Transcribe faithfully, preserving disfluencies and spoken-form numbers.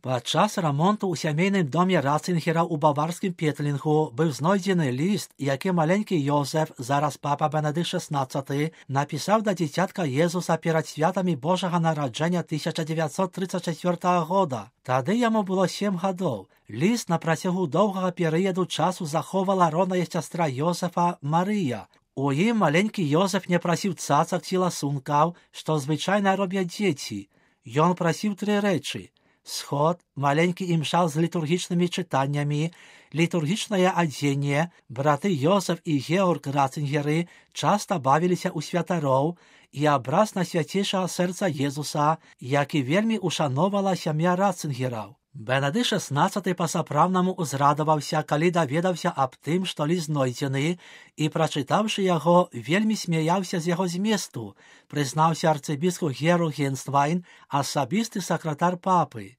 Падчас ремонту у сімейному домі Ратцингера у баварському Петлінгу був знайдений лист, який маленький Йозеф, зараз папа Бенедикт шістнадцятий, написав до дитятка Єзуса перед святами Божого народження тисяча дев'ятсот тридцять четвертого года. Тоді йому було сім років. Лист на протягу довгого періоду часу заховала родна сестра Йозефа Марія. У їм маленький Йозеф не просив цацок чи ласунків, що звичайно роблять діти. Він просив три речі. Сход, маленький імшал з літургічними читаннями, літургічне одіння, брати Йозеф і Георг Ратцингери часто бавилися у святарів, і образ Найсвятішого серця Єзуса, який вельми ушановала сім'я Ратцингерів. Бенедикт шістнадцятий по-справному узрадувався, коли довідався об тим, що лист знайдений, і, прочитавши його, вельми сміявся з його змісту, признався арцибіскуп Георг Генствайн, особистий секретар папи.